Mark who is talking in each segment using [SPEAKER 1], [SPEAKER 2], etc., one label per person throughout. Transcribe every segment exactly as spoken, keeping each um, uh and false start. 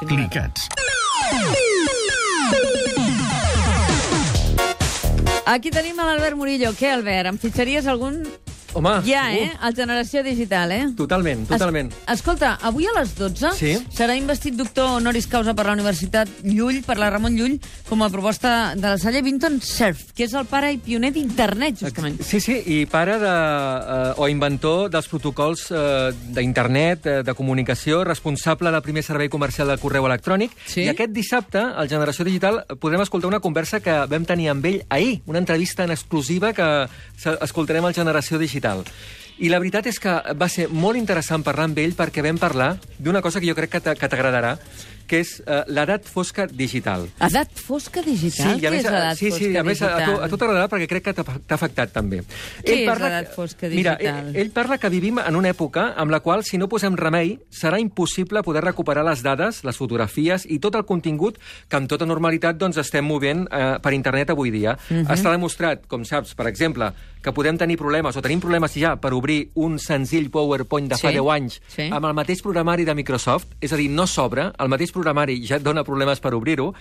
[SPEAKER 1] Clicats.
[SPEAKER 2] Aquí tenim a l'Albert Murillo. Què, Albert, em fitxaries algun...
[SPEAKER 3] Home,
[SPEAKER 2] ja,
[SPEAKER 3] segur.
[SPEAKER 2] eh? El Generació Digital, eh?
[SPEAKER 3] Totalment, totalment.
[SPEAKER 2] Es, escolta, avui a les dotze
[SPEAKER 3] Sí?
[SPEAKER 2] serà investit doctor honoris causa per la Universitat Llull, per la Ramon Llull, com a proposta de la Salle Vinton Cerf, que és el pare i pioner d'internet, justament.
[SPEAKER 3] Sí, sí, i pare de, eh, o inventor dels protocols eh, d'internet, eh, de comunicació, responsable del primer servei comercial del correu electrònic.
[SPEAKER 2] Sí?
[SPEAKER 3] I aquest dissabte, al Generació Digital, podrem escoltar una conversa que vam tenir amb ell ahir, una entrevista en exclusiva que escoltarem al Generació Digital. I la veritat és que va ser molt interessant parlar amb ell perquè vam parlar d'una cosa que jo crec que t'agradarà, que és uh, l'edat fosca digital.
[SPEAKER 2] Edat fosca digital?
[SPEAKER 3] Sí, i a
[SPEAKER 2] Què
[SPEAKER 3] més,
[SPEAKER 2] és edat
[SPEAKER 3] sí, sí,
[SPEAKER 2] fosca
[SPEAKER 3] a més a,
[SPEAKER 2] digital?
[SPEAKER 3] tu, a tu t'agradarà perquè crec que t'ha t'ha afectat també.
[SPEAKER 2] Què és l'edat fosca digital?
[SPEAKER 3] Mira, ell, ell parla que vivim en una època amb la qual, si no posem remei, serà impossible poder recuperar les dades, les fotografies i tot el contingut que amb tota normalitat doncs, estem movent eh, per internet avui dia. Uh-huh. Està demostrat, com saps, per exemple, que podem tenir problemes, o tenim problemes ja per obrir un senzill PowerPoint de fa
[SPEAKER 2] Sí,
[SPEAKER 3] deu anys
[SPEAKER 2] sí.
[SPEAKER 3] amb el mateix programari de Microsoft, és a dir, no s'obre, el mateix programari ja et dona problemes per obrir-ho,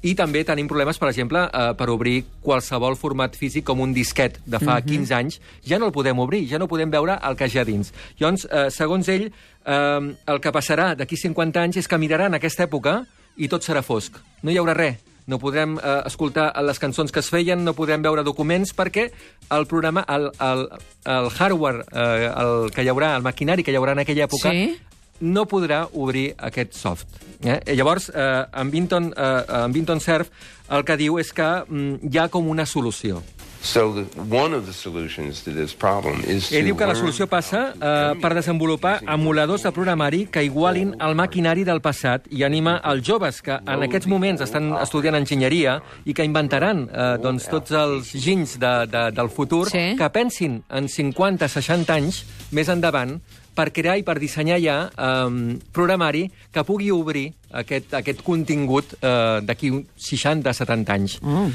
[SPEAKER 3] i també tenim problemes, per exemple, eh, per obrir qualsevol format físic com un disquet de fa
[SPEAKER 2] Mhm.
[SPEAKER 3] quinze anys, ja no el podem obrir, ja no podem veure el que hi ha dins. Llavors, eh, segons ell, eh, el que passarà d'aquí cinquanta anys és que miraran aquesta època i tot serà fosc. No hi haurà res. No podrem eh, escoltar les cançons que es feien, no podrem veure documents, perquè el programa, el, el, el hardware eh, el que hi haurà, el maquinari que hi haurà en aquella època,
[SPEAKER 2] Sí?
[SPEAKER 3] no podrà obrir aquest soft. Eh? I llavors, eh, en, Vinton, eh, en Vinton Cerf el que diu és que mm, hi ha com una solució.
[SPEAKER 4] So the, one of the solutions to this problem is to
[SPEAKER 3] Ell diu que la
[SPEAKER 4] learn
[SPEAKER 3] solució passa
[SPEAKER 4] how to
[SPEAKER 3] eh,
[SPEAKER 4] emulate
[SPEAKER 3] per desenvolupar
[SPEAKER 4] using
[SPEAKER 3] emuladors de programari que igualin el maquinari del passat i anima els joves que en aquests moments estan estudiant enginyeria i que inventaran eh, doncs, tots els ginys de, de, del futur,
[SPEAKER 2] Sí.
[SPEAKER 3] que pensin en cinquanta seixanta anys més endavant per crear i per dissenyar ja eh, programari que pugui obrir aquest, aquest contingut eh, d'aquí seixanta setanta anys.
[SPEAKER 2] Oh.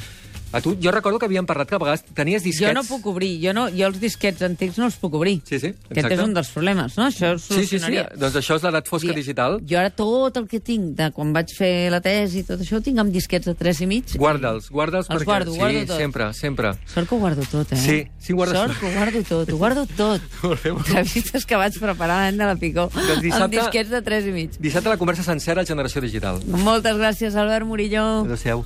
[SPEAKER 3] A tu, jo recordo que havíem parlat que a vegades tenies disquets...
[SPEAKER 2] Jo no puc obrir, jo, no, jo els disquets antics no els puc obrir.
[SPEAKER 3] Sí, sí,
[SPEAKER 2] Aquest
[SPEAKER 3] exacte.
[SPEAKER 2] és un dels problemes, no? Això
[SPEAKER 3] Sí, sí, sí.
[SPEAKER 2] solucionaria.
[SPEAKER 3] Doncs això és l'edat fosca
[SPEAKER 2] Dir,
[SPEAKER 3] digital.
[SPEAKER 2] Jo ara tot el que tinc de quan vaig fer la tesi i tot això ho tinc amb disquets de tres i mig.
[SPEAKER 3] Guarda'ls, guarda'ls
[SPEAKER 2] Els
[SPEAKER 3] perquè...
[SPEAKER 2] guardo,
[SPEAKER 3] sí,
[SPEAKER 2] guardo tot.
[SPEAKER 3] sempre, sempre.
[SPEAKER 2] Sort que ho guardo tot, eh?
[SPEAKER 3] Sí, sí, guardes
[SPEAKER 2] Sort
[SPEAKER 3] tot.
[SPEAKER 2] que ho guardo tot, ho guardo tot.
[SPEAKER 3] Molt bé, molt bé.
[SPEAKER 2] Entrevistes que vaig preparar l'any de la Picó
[SPEAKER 3] Doncs dissabte-
[SPEAKER 2] amb disquets de tres i mig.
[SPEAKER 3] Dissabte la conversa sencera al Generació Digital.
[SPEAKER 2] Moltes gràcies, Albert Murillo.
[SPEAKER 3] Adéu-siau.